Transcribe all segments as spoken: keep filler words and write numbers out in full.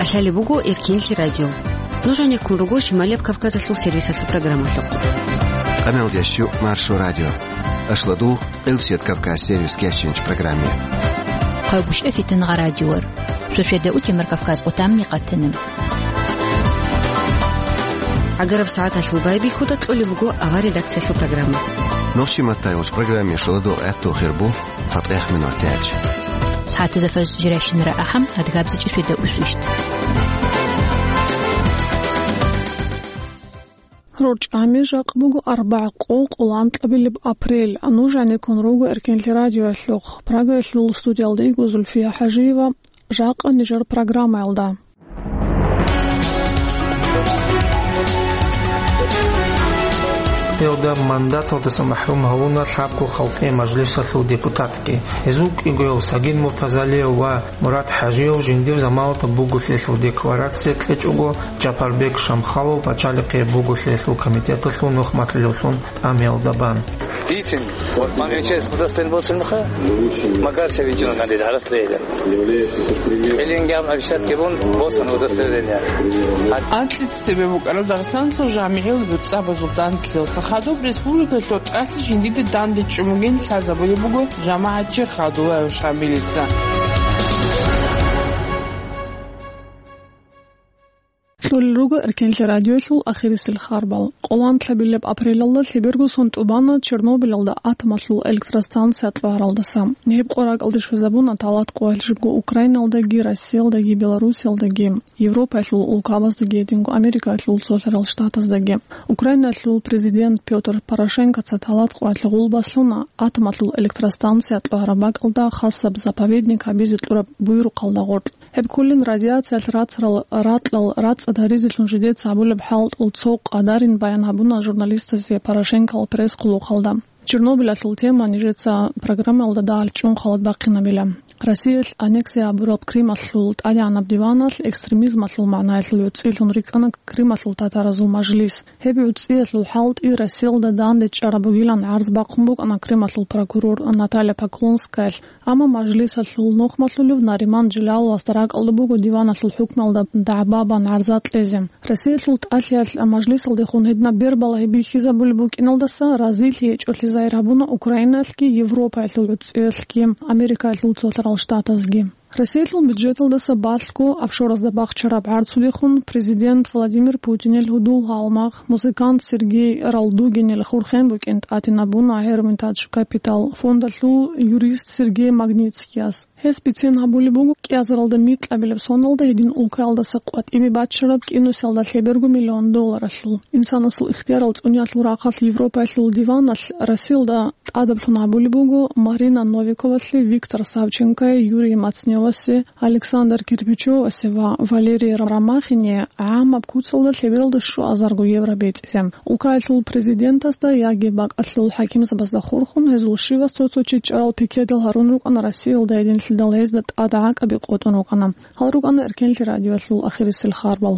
КӀалъалеб буго Эркенлъи радио. Нуж гьанеккун руго Шималияб Кавказалъул сервисалъул программалъухъ. Къамелдеш чу Маршо радио. Ашладу Къилсият Кавказ сервис кечинч программе. Хъагушев Фитнагъа радиор. Суседа утемар Кавказ отамни къатана. ГӀагараб сагӀаталъул байбихьуда кьолеб буго авар редакциялъул программа. Нохчи маттайгъуч программе шоладо гӀатту хирбу цатӀех минутач. СагӀатазда фажр жирайщинара ахӀам, адгабзичӀи суседа усвищт. РорчӀами жакъ буго арбагӀ къо къолан тӀабилеб апрель. Нуж гьанеккун руго Эркенлъи радиоялъухъ. Прагаялъул студиялда йиго Зульфия ХӀажиева. Жакъа нижер программаялда. Гьелда мандаталдаса махӀрум гьавуна лъабго халкъи мажлисалъул депутатги. Гьезул кӀигояв Сагид Муртазалиев ва Мурат ХӀажиев жиндир заманалда бугулъиялъул декларация кьечӀого, Жапарбек Шамхалов пачалихъе бугулъиялъул комитеталъул нухмалъулевлъун тӀамиялда бан. Дицин, вот мамин чес удостоверение босун меха, Макар Савичевна гьанир гьарат лейла. Элингам обещать кебун босун удостоверение. Анкьица цебе букӀараб Дагъистаналъул жамигӀил буцӀцӀабазул данделъиялъа хадуб республикалъул тӀалъи жиндида данде чӀун бугин лъазабулеб буго жамагӀатчи Хадулаев Шамилица. Кьолел руго Эркенлъи радиоялъул ахирисел харбал. Къолан тӀабилеб апрелалда лъеберго сон тӀубана Чернобыльалда атомалъул электростанция кьваралдаса. Гьеб къо ракӀалде щвезабуна талат къоялъ жибго Украиналдаги, Россиялдаги, Белоруссиялдаги, Европаялъул улкабаздаги, гьединго Америкаялъул Цолъарал Штатаздаги. Украинаялъул президент Пётр Порошенкоца талат къоялъ гъулбаслъуна атомалъул электростанция кьвараб бакӀалда хасаб заповедник гьабизе кьураб буюрухъалда гъоркь. Гьеб кколин радиациялъ рацарал ракьал рацӀцӀад гьаризелъун жидеца гьабулеб хӀалтӀул цо къадарин баян гьабуна журналистазе Порошенкоял пресс-хъулухъалда. Чернобыльалъул тема нижеца программаялда дагьал чӀун халат бахъинабила. Россиялъ аннексия гьабураб Крымалъул тӀадегӀанаб диваналъ экстремизмалъул магӀнаялъул гӀуцӀилъун рикӀкӀана Крымалъул татаразул мажлис. Гьеб гӀуцӀиялъул хӀалтӀи Россиялда данде чӀараб бугилан гӀарз бахъун букӀана Крымалъул прокурор Наталья Поклонскаялъ. Амма мажлисалъул нухмалъулев Нариман Джиляловасда ракӀалда буго диваналъул хӀукмалда дагӀба бан гӀарза кьезе. Россиялъул тӀалъиялъ мажлисалдехун гьединаб бербала бихьизабулеб букӀиналдаса разилъи гьечӀолъи загьир гьабуна Украинаялъги Европаялъул гӀуцӀиялъги Америкаялъул Цолъарал Штатазги. Россиялъул бюджеталдаса балъго офшоразда бахчараб гӀарцудехун президент Владимир Путинил гьудул гьалмагъ, музыкант Сергей Ралдугинил хурхен букӀин тӀатинабуна Hermitage Capital фондалъул юрист Сергей Магнитскияс. Гьес бицен гьабулеб буго, кӀиазаралда микьабилеб соналда гьедин улкаялдаса къватӀибе бачараб кӀинусиялда лъеберго миллион долларалъул. Инсанасул ихтиярал цӀуниялъул рахъалъ Европаялъул диваналъ Россиялда тӀадаблъун гьабулеб буго Марина Новиковалъе, Виктор Савченкое, Юрий Мацневасе, Александр Кирпичевасе ва Валерий Ромахине гӀамаб куцалда лъебералда щуазарго евро бецӀизе. Улкаялъул президентасда яги бакӀалъул хӀакимзабазда хурхун, гьезул щивас цо-цо чи чӀарал пикетал гьарун рукӀана Россиялда гьединлъидал гьезда тӀад гӀакӀаби къотӀун рукӀана. Гьал рукӀана Эркенлъи радиоялъул ахирисел харбал.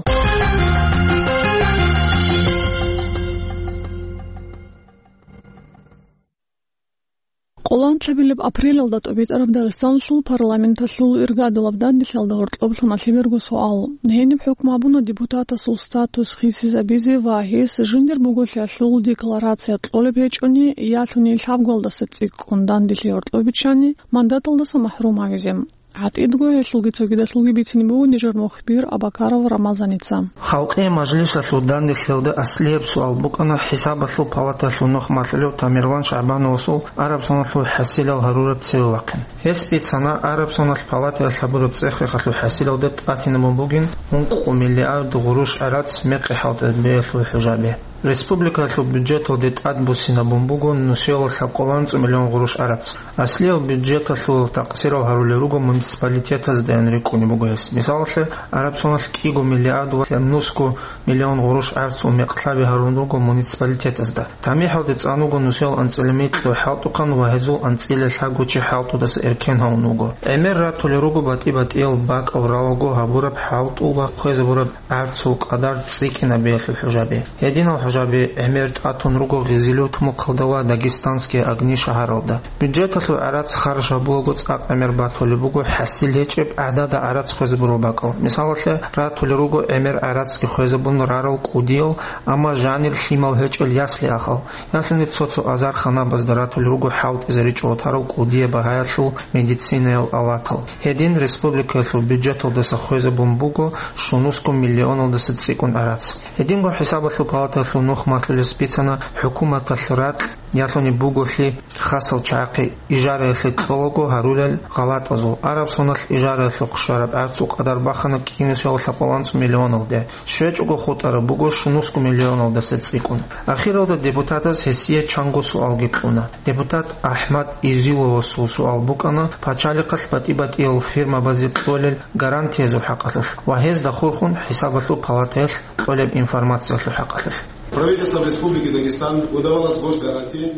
Къолан лъабилеб апрелалда тӀобитӀараб Дагъистаналъул парламенталъул иргадулаб данделъиялда гьоркьоб лъуна лъеберго суал. Гьениб хӀукму гьабуна депутатасул статус хисизабизе ва гьес жиндир буголъиялъул декларация кьолеб гьечӀони, ялъуни лъабгоялдаса цӀикӀкӀун данделъи гьоркьоб биччани, мандаталдаса махӀрум гьавизе. ГӀатӀидго гьелъулги цогидалъулги бицине буго нижер мухбир Абакаров Рамазаница. Халкъи мажлисалъул данделъиялда аслияб суал букӀана ХӀисабалъул палаталъул нухмалъулев Тамерлан ШагӀбановасул араб соналъул хӀасилал гьарураб цеве вахъин. Гьес бицана араб соналъ палатаялъ гьабураб цӀех-рехалъул хӀасилалда тӀатинабун бугин ункъо миллиард гъурущ гӀарац мекъи хӀалтӀизабиялъул хӀужаби. Республикалъул бюджеталде тӀадбуссинабун буго нусиялда лъабкъоялда анцӀ миллион гъурущ гӀарац. Аслиял бюджеталъул такъсирал гьарулел руго муниципалитетаздаян рикӀкӀунеб буго гьес. Мисалалъе, Арабсоналъ кӀиго миллиард ва нусго миллион гъурущ гӀарцул мекъ лъаби гьарун руго муниципалитетазда. ТамихӀалде цӀан вуго нусиял анцӀила микьго хӀалтӀухъан ва гьезул анцӀила лъабго чи хӀалтӀудаса эркен гьавун вуго. ГӀемер ратулел руго батӀи-батӀиял бакӀал ралаго гьабураб хӀалтӀул ва хъвезабураб гӀарцул къадар цӀикӀкӀинабиялъул хӀужаби. Гьединал Жаби гӀемер тӀатун руго Гъизилив-Тумухъалда ва Дагестанские огни шагьаралда. Бюджеталъул гӀарац харж гьабулаго цӀакъ гӀемер батулеб буго хӀасил гьечӀеб гӀадада гӀарац хвезабурал бакӀал. Мисалалъе, ратулел руго гӀемер гӀарацги хвезабун рарал кӀудиял, амма жанир лъимал гьечӀел ясли-ахал. Ялъуни цо-цо азар ханабазда ратулел руго хӀалтӀизаричӀого тарал кӀудияб багьаялъул медицинаял аватал. Гьедин республикаялъул бюджеталдаса хвезабун буго щунусго миллионалдаса цӀикӀкӀун гӀарац. Гьединго хӀисабалъул палатаялъул нух малъулес бицана хӀукуматалъ ракь ялъуни буголъи хасал чагӀахъе ижараялъе кьолаго гьарулел гъалатӀазул. Араб соналъ ижараялъухъ щвараб гӀарцул къадар бахана кӀинусиялда лъабкъоялда анцӀ миллионалде. ЩвечӀого хутӀараб буго щунусго миллионалдаса цӀикӀкӀун. Ахиралда депутатаз гьесие чанго суалги кьуна. Депутат АхӀмад Изиловасул суал букӀана пачалихъалъ батӀи-батӀиял фирмабазе кьолел гарантиязул хӀакъалъулъ ва гьезда хурхун хӀисабалъул палатаялъ кьолеб информациялъул хӀакъалъулъ. Правительством Республики Дагестан выдавалась госгарантия.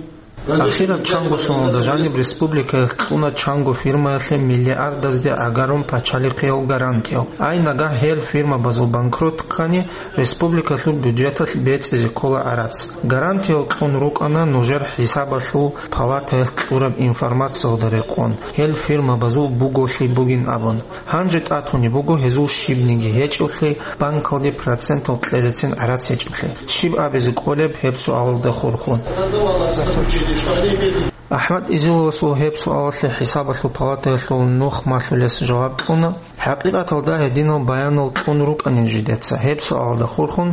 Ахираб чанго суалда жаниб республикаялъ кьуна чанго фирмаялъе миллиардазде гӀагарун пачалихъиял гарантиял. Ай нагагь гьел фирмабазул банкрот ккани, республикалъул бюджеталъ бецӀизе ккола гӀарац. Гарантиял кьун рукӀана нужер хӀисабалъул палатаялъ кьураб информациялда рекъон, гьел фирмабазул буголъи бугин абун. Гьанже тӀатунеб буго гьезул щибниги гьечӀеблъи, банкалде процентал кьезецин гӀарац гьечӀеблъи. Щиб абизе кӀолеб гьеб суалалда хурхун? АхӀмад Изиловасул гьеб суалалъе хӀисабалъул палатаялъул нух малъулес жаваб кьуна. ХӀакъикъаталда гьединал баянал кьун рукӀанин жидеца, гьеб суалалда хурхун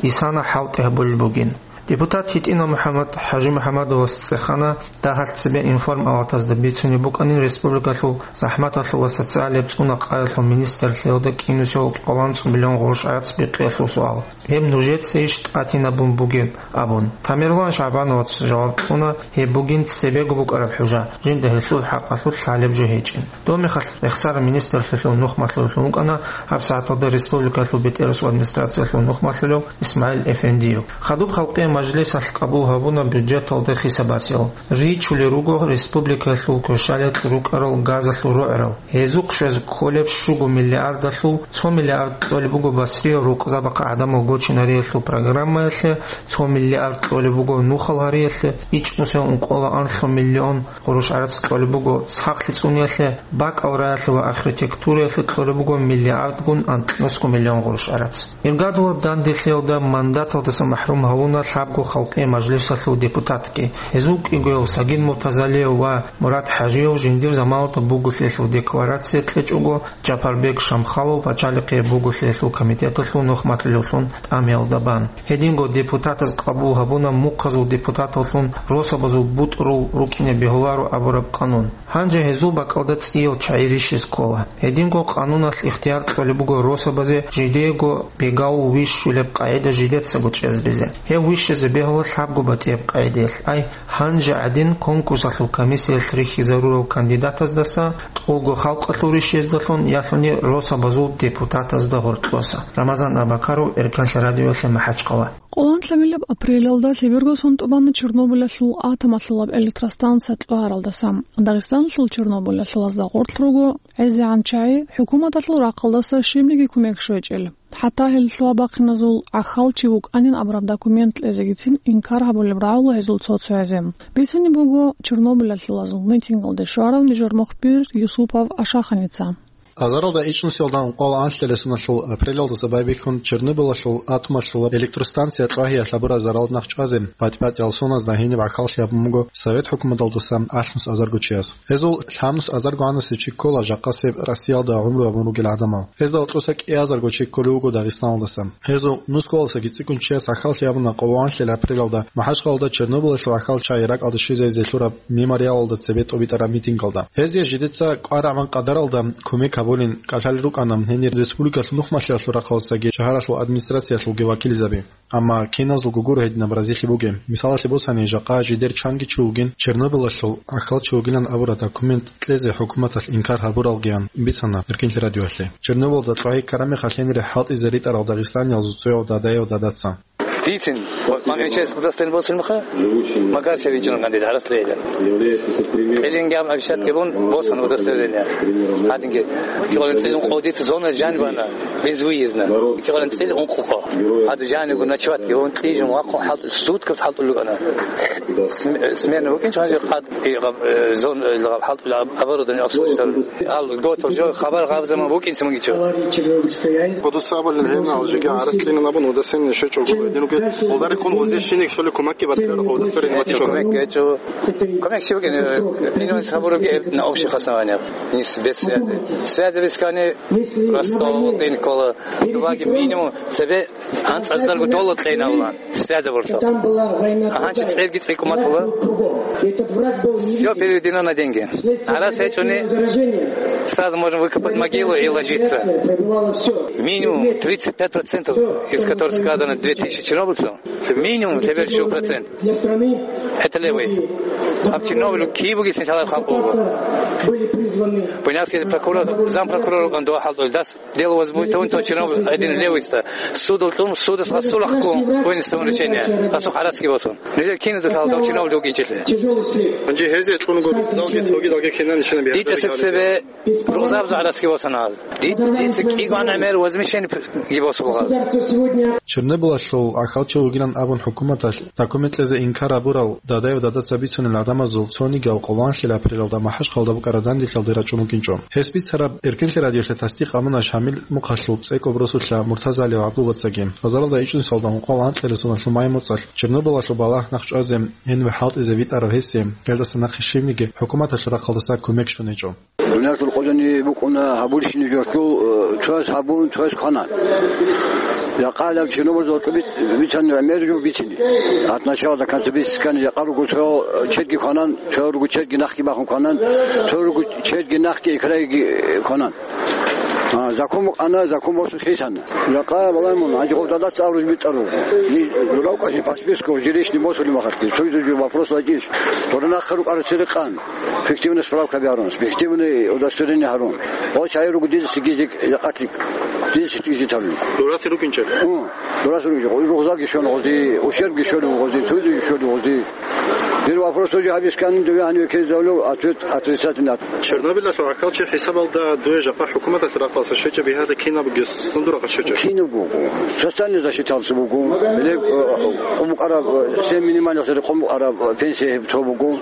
исана хӀалтӀи гьабулеб бугин. Депутат ГьитӀинал МухӀаммад ХӀажимухӀаммадовас цӀехана дагьалъ цебе информпалатазда бицунеб букӀанин республикалъул захӀматалъул ва социалияб цӀуна-къаялъул министрлъиялда кӀинусиялда лъабкъоялда анцӀ миллион гъурущ гӀарац бихъиялъул суал. Гьеб нужецайищ тӀатинабун бугеб? Абун. Тамерлан ШагӀбановац жаваб кьуна, гьеб бугин цебего букӀараб хӀужа, жинда гьелъул хӀакъалъулъ лъалеб жо гьечӀин. Доб мехалъ рехсараб министрлъиялъул нух малъулев вукӀана гьаб сагӀаталда республикалъул БетӀерасул администрациялъул нух малъулев ИсмагӀил Эфендиев. Хадуб халкъиял мажлисалъ къабул гьабуна бюджеталда хисабасел. Ричулел руго республикаялъул кверщаликь рукӀарал газалъул рогӀрал. Гьезухъ щвезе кколеб щуго миллиардалъул цо миллиард кьолеб буго Басриялъ рукъзабахъ гӀадамал гочинариялъул программаялъе, цо миллиард кьолеб буго нухал гьариялъе, ичӀнусиялда ункъоялда анлъго миллион гъурущ гӀарац кьолеб буго сахлъи цӀуниялъе, бакӀал раялъе ва архитектураялъе кьолеб буго миллиардгун анкьнусго миллион гъурущ гӀарац. Иргадулаб данделъиялда мандаталдаса махӀрум гьавуна лъабго халкъиял мажлисалъул депутатги. Гьезул кӀигоял Сагид Муртазалиев ва Мурад ХӀажиев жиндир заманалда буголъиялъул декларация кьечӀого, Жапарбек Шамхалов пачалихъияб буголъиялъул комитеталъул нух малъулевлъун тӀамиялда бан. Гьединго депутатаз къабул гьабуна мухъазул депутаталлъун росабазул бутӀрул рукӀине бегьуларо абураб къанун. Гьанже гьезул бакӀалда цӀиял чагӀи рищизе ккола. Гьединго къануналъ ихтияр кьолеб буго росабазе жидеего бегавул вищулеб къагӀида жидецаго чӀезабизе. Гьев вищизе бегьула лъабго батӀияб къагӀидаялъ. Ай, гьанже гӀадин конкурсалъул комиссиялъ рихьизарурал кандидатаздаса, тӀолго халкъалъул рищиздалъун, ялъуни росабазул депутатазда гьоркьоса. Рамазан Абакаров, Эркенлъи радиоялъе, МахӀачхъала. Къоланлъабилеб апрелалда лъеберго сон тӀубана Чернобылалъул атомалъулаб электростанция кьвагьаралдаса. Дагъистаналъул Чернобылалъулазда гъорлъ руго гӀезегӀан чагӀи, хӀукуматалъул рахъалдаса щибниги кумек щвечӀел. ХӀатта гьел лъугьа-бахъиназул гӀахьалчи вукӀанин абураб документ кьезегицин инкар гьабулеб рагӀула гьезул цо-цоязе. Бицунеб буго Чернобылалъулазул митингалде щварав нижер мухбир Юсупов Ашаханица. Азаралда ичӀнусиялда ункъоялда анлъила соналъул апрелалдаса байбихьун Чернобылалъул атомалъулаб электростанция кьвагьиялъ гьабурал заралда нахъ чӀвазе батӀи-батӀиял соназда гьениб гӀахьаллъи гьабун буго Совет хӀукуматалдасан алънус азарго чияс. Гьезул лъабнус азарго гӀанасев чи ккола жакъасеб Россиялда гӀумру гьабун ругел гӀадамал. Гьезда гьоркьоса кӀиазарго чи кколев вуго Дагъистаналдасан. Гьезул нусгоялдасаги цӀикӀкӀун чияс гӀахьаллъи гьабуна къоло анлъила апрелалда МахӀачхъалалда Чернобылалъул гӀахьал чагӀи ракӀалде щвезавизе лъураб мемориалалда цебе тӀобитӀараб митингалда. Гьезие жидеца кӀварагӀман къадаралда кумек гьабулин кӀалъалел рукӀана гьенир республикалъул нухмалъиялъул рахъалдасаги шагьаралъул администрациялъулги вакилзаби. Амма киназулго гуро гьединаб разилъи бугеб. Мисалалъе босани, жакъа жидер чанги чи вугин, Чернобылалъул гӀахьал чи вугилан абураб документ кьезе хӀукуматалъ инкар гьабуралгиян бицана Эркинлъи радиоялъе. Чернобылда кьвагьи ккараб мехалъ гьенире хӀалтӀизе ритӀарал дагъистаниязул цӀуяв дадаяв дадаса. Дицин, вот, мамичес удостоверение босун муха, Макарчев ичун кандид, гьарас лейла. Кьилин гьаб обещать гьабун, босун удостоверение. Гьадинги, кьилин цӀилун къодица зона жанбана, безвыездно. Кьилин цӀил ункъухъо. Гьаду жанигу ночевать гьабун, кьижун вахъун хӀалтӀул, суткас хӀалтӀул лукӀана. См-, смена букӀинчӀо гьанже хъад, и гъаб, э, зон, э, гъаб хӀалтӀул аб-, оборудование обслуживать. Ал готов жо, хабар гъабзаман букӀинцин мугичӀо. Кодуса абалин гьенал жиги гьарас кьинан абун удасин нешечӀого. Динуге олдарихъун гъозе шинек щоле кумакки батирарухъ удасарин ваччо. Кумек гьечӀо. Кумек щиб бугин, э, минимум сабуруги на общих основаниях. Нис без связи. Связи без кани просто инкола. Дуваги минимум себе анцӀазарго доло кьейналла. Связь борцо. Агьанчи цӀерги цӀикӀкӀуматула. Все переведено на деньги. Гьарас гьечӀони, сразу можем выкопать могилу и ложиться. Минимум тридцать пять процентов из которых сказано две тысячи чернобыльцев, минимум тебе всего процент. Это левый. Об Чернобыль кибуги сенталар халкъ буго. Буйнакский прокурор, зампрокурор он два халкъ дас. Дело возбудить, он то чиновник один левый ста. Судал тун, судас гъасулахъун вынести решение. Гъасу гьарацги босун. Нилер кине дутал дав чиновник укӀинчӀелъе. Анжи гьезе тун гур, залги, цоги, далги кинан нишана бихӀ. Дица цебе рузабзу гьарацги босана. Ди-, дица кӀигван гӀемер возмещение ги босулгъаз. Чернобылалъул ахӀалчи вугилан абун хӀукуматалъ документ кьезе инкар гьабурал Дадаев Дадаца бицунел гӀадамазул цонигиял къоланлъила апрелалда МахӀачхъалда букӀараб дандилъалде рачӀун вукӀинчӀо. Гьес бицараб Эркенлъи радиоялъе тасдикъ гьабуна Шамил мухъалъул цӀекӀоб росулъа Муртазалиев ГӀабдуллацаги. Базаралда ичӀнусалда ункъоялда анкьабилеб соналъул май-муцӀалъ Чернобылалъул балагь нахъчӀвазе гьениб хӀалтӀизе витӀарав гьесие, гьелдаса нахъе щибниги хӀукуматалъул рахъалдаса кумек щун гьечӀо. Дуниялъул къоялъ букӀуна гьабулщинаб жоялъул, э, цояс гьабун, цояс квана. Жакъа гьалаб Чернобылалда бицани гӀемер жо бицине. От начала до конца бицискани, жакъа руго цо чедги кванан, цо руго чедги нахги бахун кванан, цо руго чедги нахги икрайги кванан. А, закон букӀана, закон босун лъисана. Жакъа балагьун, гьанже гъов Дадаца абураб битӀараб. Ни дуравкъалъе по списку жилищный босулеб мехалъги, цоги вопрос вачӀищ. Гъура нахъе рукӀарал церекъан. Фиктивный справка гьарун, фиктивный удостоверение гьарун. Гъо чагӀи руго дидеси гизик, жакъатлъи дидеси гизик гьарун. Дураци рукӀинчӀеб? Гьу, дураци рукӀинчӀеб. Ругъзалги щолеб гъози, ущербги щолеб гъози, цоги щолеб гъози. Дир вопрос уже гьабисканин, дуе гьаниве ккезе гьавулев, ответ отрицательный. Чернобылалъул ахӀалчи хӀисабалда дуе жакъа хӀукуматалъ рахъалъа щвечӀеб бигьарда кинаб бугес? Сундура къачечӀо. Кинаб буго. Социальная защиталъ буго. Леб, э, къо букӀараб, э, семь минимальных рекъон букӀараб, э, пенсия гьеб цо буго.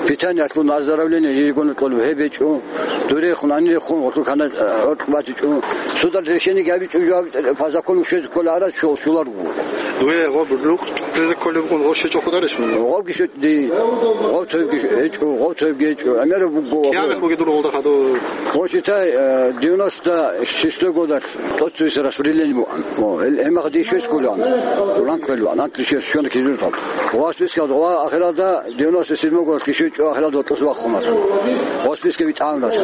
Питаниялъул оздоровление ежегодно кьолеб гьеб гьечӀо. Дурехун, анирехун, гъолъул хана, э, гӀоркь батичӀо. Судалъ решениеги гьабичӀо, жо гьаб-, по закону щвезе ккола гьараз що-, щоларго. Дуе гъоб рукъ кьезе кколеб букӀун гъов щвечӀо хутӀарищ? Гъовги щвечӀо, ди. Гъов цоябги гьечӀо, гъов цоябги гьечӀо. ГӀемераб буго. Киаб мехалъ бугеб дур гъолда хадур? Гъов читай, э, девяносто шестой годалъ. ТӀоцевесеб распределение бугӀан. О, гьел гьемахъ дишвес кколаан. Ранг кколаан, анкьлъи щвес щвана кизуртал. Ва спискал ва ахиралда девяносто седьмой год кишечӀо ахиралда тӀус вахъуна. Ва списка витӀаунас.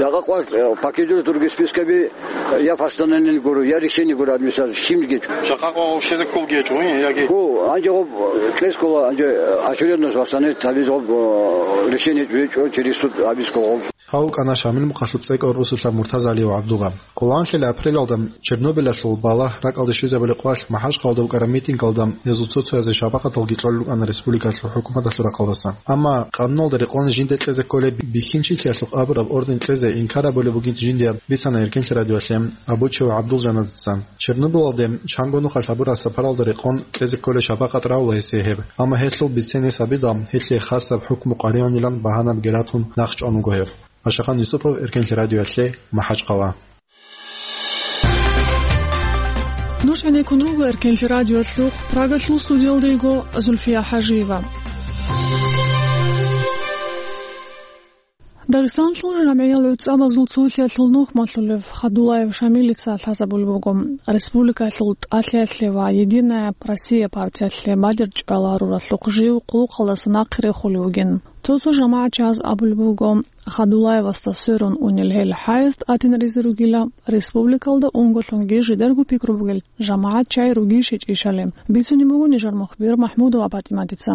Жакъа къвал, э, по кизуру турги спискаби, э, я постановление гуро, я решение гуро администрация, щибниги. Жакъа къвал общезе кколги гьечӀо, яги? Ку, анже гъоб, э, кьес ккола, анже, э, очередность восстановить гьабиз гъоб, э, решение гьечӀо, через суд гьабиз ккола гъоб. Гьав вукӀана Шамил мухъалъул цӀекӀор росулъа Муртазалиев ГӀабдулла. Къоланлъила апрелалда Чернобылалъул балагь ракӀалде щвезабулеб къвалъ МахӀачхъалда букӀараб митингалда гьезул цо-цоязе шапакъаталги кьолел рукӀана республикалъул хӀукуматалъул рахъалдаса. Амма къануналда рекъон жинде кьезе кколеб бихьинчилъиялъухъ абураб орден кьезе инкар гьабулеб бугин жиндияб бицана Эркенлъи радиоялъе Абучев ГӀабдулжаназица. Чернобылалде чанго нухалъ гьабураб сапаралда рекъон кьезе кколеб шапакъат равула гьесие гьеб. Амма гьелъул бицен гьес гьабидал, гьелъие хасаб хӀукму къваригӀунилан багьанаби гьарун нахъ чӀван вуго гьев. Ашахан Юсупов, Эркенлъи радиоялъе, МахӀачхъала. Нуж гӀенеккун руго Эркенлъи радиоялъухъ, Прагалъул студиялда йиго Зульфия ХӀажиева. Дагъистаналъул жамгӀиял гӀуцӀамазул цолъиялъул нухмалъулев Хадулаев Шамилица лъазабулеб буго. Республикалъул ТӀалъиялъе ва «Единая Россия» партиялъе бадиб чӀваларуралъухъ жив къулухъалдаса нахъе рехулев вугин. Цо-цо жамагӀатчияз абулеб буго, Хадулаевасда сверун унел гьел хӀаяс тӀатинаризе ругила, республикалда унголъунги жидерго пикру бугел жамагӀат чагӀи ругищ-ищали. Бицунеб буго нижер мухбир МахӀмудова ПатӀиматица.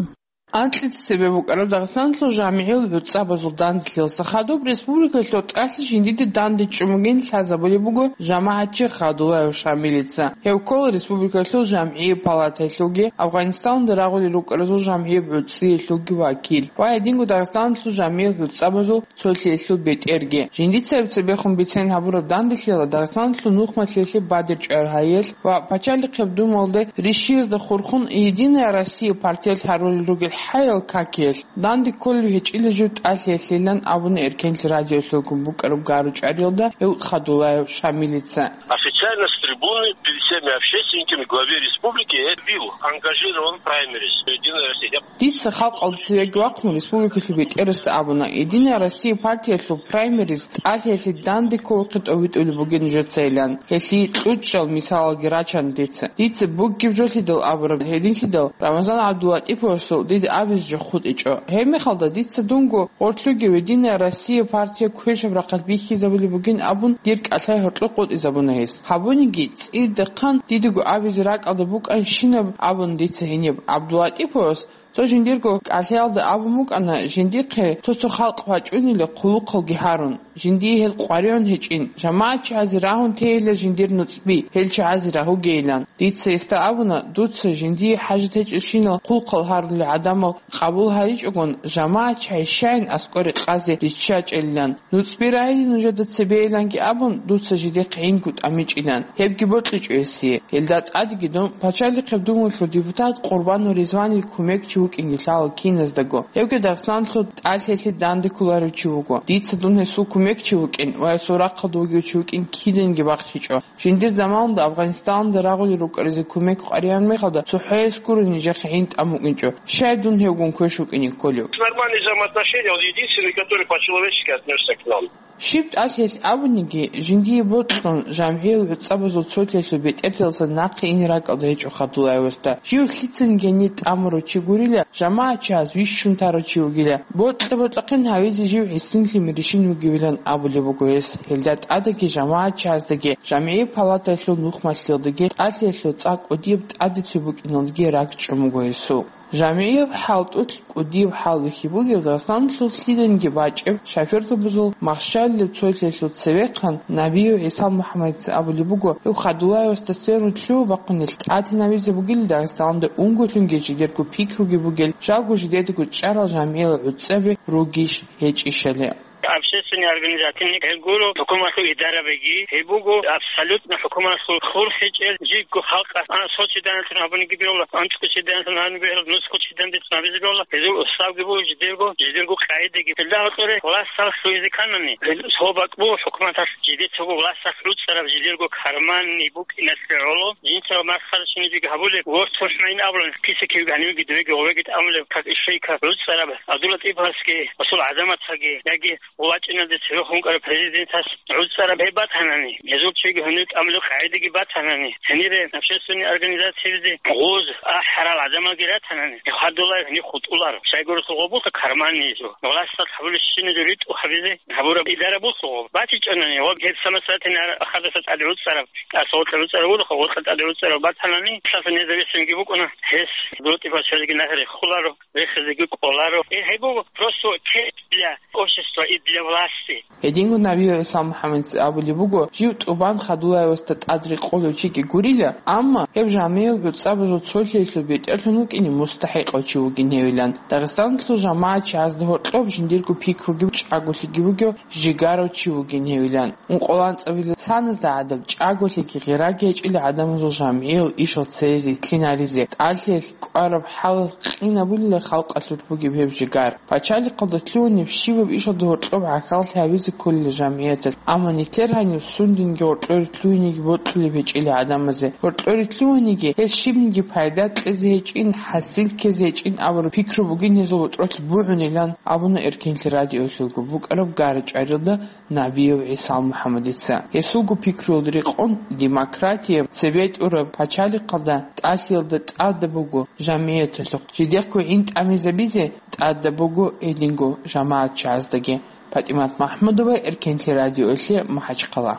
Анкьица цебе букӀараб Дагъистаналъул жамигӀил гӀуцӀабазул данделъиялъа хадуб республикалъул тӀалъи жиндиде данде чӀумугин лъазабулеб буго жамагӀатчи Хадулаев Шамилица. Гьев ккола республикалъул жамгӀияб палатаялъулги, Афганистанда рагъулел рукӀаразул жамгӀияб гӀуцӀиялъулги вакил ва гьединго Дагъистаналъул жамигӀил гӀуцӀабазул цолъиялъул бетӀерги. Жиндица гьеб цебехун бицен гьабураб данделъиялда Дагъистаналъул нухмалъиялъе бадиб чӀвагӀер гьариялъ ва пачалихъеб думалде рищиязда хурхун «Единая Россия» партиялъ гьарулел ругел хӀаял какиялъ данде кколев гьечӀила жив тӀалъиялъилан абуна Эркенлъи радиолъулгун букӀараб гъару чӀвариялда гьев Хадулаев Шамилица. Официально с трибуны перед всеми общественниками главе республики я бил ангажирован праймериз «Единая Россия». Дица халкъалда цевеги вахъун республикалъул бетӀерасда абуна, «Единая Россия» партиялъул праймериз тӀалъиялъе данде кколухъе тӀовитӀулеб бугин нужецайилан. Гьелъие кьучӀал мисалалги рачана дица. Дица бугеб жолъидал абураб гьединлъидал Рамазан ГӀабдуллатӀиповасул дида абизе жо хутӀичӀо. Гьеб мехалда дица дунго гъорлъуги «Единая Россия» партия квешаб рахъалъ бихьизабулеб бугин абун дир кӀалъай гьоркьоб къотӀизабуна гьес. Гьабуниги, цӀидахъан дидаго абизе ракӀалда букӀанщинаб абун дица гьениб ГӀабдуллатӀиповас цо жиндирго кӀалъаялда абун букӀана, жиндихъе цо-цо халкъ вачӀунила хъулухъалги гьарун, жиндие гьел къваригӀун гьечӀин, жамагӀатчагӀазе рагьун тейила жиндир нуцӀби, гьел чагӀазе рагьугейилан. Дица гьесда абуна, дуца жиндие хӀажат гьечӀелщинал хъулухъал гьарулел гӀадамал къабул гьаричӀогун, жамагӀатчагӀи щайин аскӀоре къазе риччачӀелилан. НуцӀби рагьизе нужеда цебейиланги абун, дуца жидехъ гӀинкӀу тӀамичӀилан. Гьебги бокьичӀо гьесие. Гьелда тӀадеги дун пачалихъеб думалъул депутат Къурбанов Ризванил кумекчи вукӀинги лъала киназдаго. Гьевги Дагъистаналъул тӀалъиялъе данде кколарев чи вуго. Дица дун гьесул кумекчи вукӀин ва гьесул рахъалда вугев чи вукӀин киданги бахчичӀо. Жиндир заманалда Афганистанда рагъулел рукӀаразе кумек къваригӀараб мехалда цохӀояс гуро нижехъе гӀин тӀамукӀинчӀо. Щай дун гьевгун квеш вукӀине кколев? Нормальные взаимоотношения, он единственный, который по-человечески отнёсся к нам. Щиб тӀалъиялъ абуниги, жиндие бокьун, жамгӀиял гӀуцӀабазул цолъиялъул бетӀердалъун нахъе ине ракӀалда гьечӀо Хадулаевасда. Жив лъицаниги гьенир тӀамурав чи гурила, жамагӀатчагӀаз вищун тарав чи вугила. Бокьа-бокьахъин гьавизе жив гӀисинлъи миришин вугевилан абулеб буго гьес. Гьелда тӀадаги жамагӀатчагӀаздаги, жамгӀияб палатаялъул нухмалъиялдаги, тӀалъиялъул цӀакъ кӀудияб тӀадеце букӀиналдаги ракӀчӀун буго гьесул. ЖамгӀияб хӀалтӀулъ кӀудияб хӀал бихьи бугеб Дагъистаналъул лъиданиги бачӀеб шофёрзабазул махщалилеб цолъиялъул цевехъан Набиев ГӀиса МухӀаммадица абулеб буго, гьев Хадулаевасда сверун лъугьа-бахъунел тӀадинабизе бугила Дагъистаналда унго-лъунги жидерго пикруги бугел, жалго жидедаго чӀарал жамгӀиял гӀуцӀаби ругищ гьечӀищали. Общественный организацияни гьел гуро, хӀукуматалъул идарабиги гьеб буго, абсолютно хӀукуматалъул хурхичӀел, жибго халкъалъ, а, сочиданлъун гьабуниги бегьула, анцӀго чиданлъун гьабуниги бегьула, нусго чиданлъун гьабизе бегьула, гьезул уставги буго жидерго, жидерго къагӀидаги. Гьелда гьоркьоре власталъ лъугьизе кканани, гьел цо бакӀ буго хӀукуматалъ жидер цого власталъ гӀуцӀараб жидерго карманни букӀиналъе гӀоло, жинца масхарачинабиги гьабулеб, вортун хӀмайин абулан, киса-кивги гьанивги дивеги гъовеги тӀамулеб, как ишейка гӀуцӀараб ГӀабдуллатӀиповасги, Расул ГӀазаматгӀаги, яги ВачӀинаб цевехун вукӀарав президентас гӀуцӀараб гьеб батанани, гьезул чиги гьуниб тӀамулеб къагӀидаги батанани, гьенире общественный организациябизе гъоз ахӀарал гӀадамалги ратанани, Хадулаев гьениб хутӀуларо. Щайгурелъул гъоб буго карманнизул, власталъ гьабулебщиназул ритӀухъ гьабизе гьабураб идара буго гъоб. БатичӀонани ва гьеб самосватани ар-, ахадаса тӀаде гӀуцӀараб, тӀаса гъоркьа гӀуцӀараб гуро, гъоркьа тӀаде гӀуцӀараб батанани, лъаса независимги букӀуна, гьес гуртӀи пачалиги нахъе рехуларо. Рехизеги кӀоларо. Э, гьеб буго просто тест для общества и для власти. Гьединго Набиев ГӀиса МухӀаммадица абулеб буго, жив тӀубан Хадулаевасда тӀад рекъолев чиги гурила, амма гьеб жамгӀиял гӀуцӀабазул цолъиялъул бетӀерлъун вукӀине мустахӀикъав чи вугин гьевилан. Дагъистаналъул жамагӀатчагӀазда гьоркьоб жиндирго пикруги чӀаголъиги бугев жигарав чи вугин гьевилан. Ункъоялда анцӀабилеб саназда гӀадаб чӀаголъиги гъираги гьечӀила гӀадамазул жамгӀиял ишал цере рилълъинаризе, тӀалъиялъ кӀвараб хӀалалъ къинабулила халкъалъулъ бугеб гьеб жигар. Пачалихъалда лъугьунеб щибаб ишалда гьоркьоб гӀахьаллъи гьабизе кколила жамгӀияталъ, амма нилъер гьанив сундинги гьоркьоре лъугьинеги бокьулеб гьечӀила гӀадамазе. Гьоркьоре лъугьаниги, гьел щибниги пайда кьезе гьечӀин, хӀасил ккезе гьечӀин абураб пикру бугин гьезул гьоркьолъ бугӀунилан абуна Эркенлъи радиолъулго букӀараб гъару чӀвариялда Набиев ГӀиса МухӀаммадица. Гьесулго пикруялда рекъон, демократия, цебетӀураб пачалихъалда тӀалъиялда тӀадаб буго жамгӀияталъухъ, жидехъго гӀин тӀамизабизе тӀадаб буго гьединго жамагӀатчагӀаздаги. ПатӀимат МахӀмудова, Эркенлъи радиолъе, МахӀачхъала.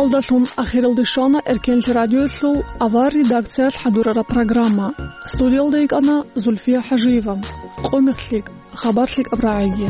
Алдалъун ахиралде щвана Эркенлъи радиоялъул авар редакциялъ хӀадурараб программа. Студиялда йикӀана Зульфия ХӀажиева. Къо мехлъи, хабар лъикӀаб рагӀиги.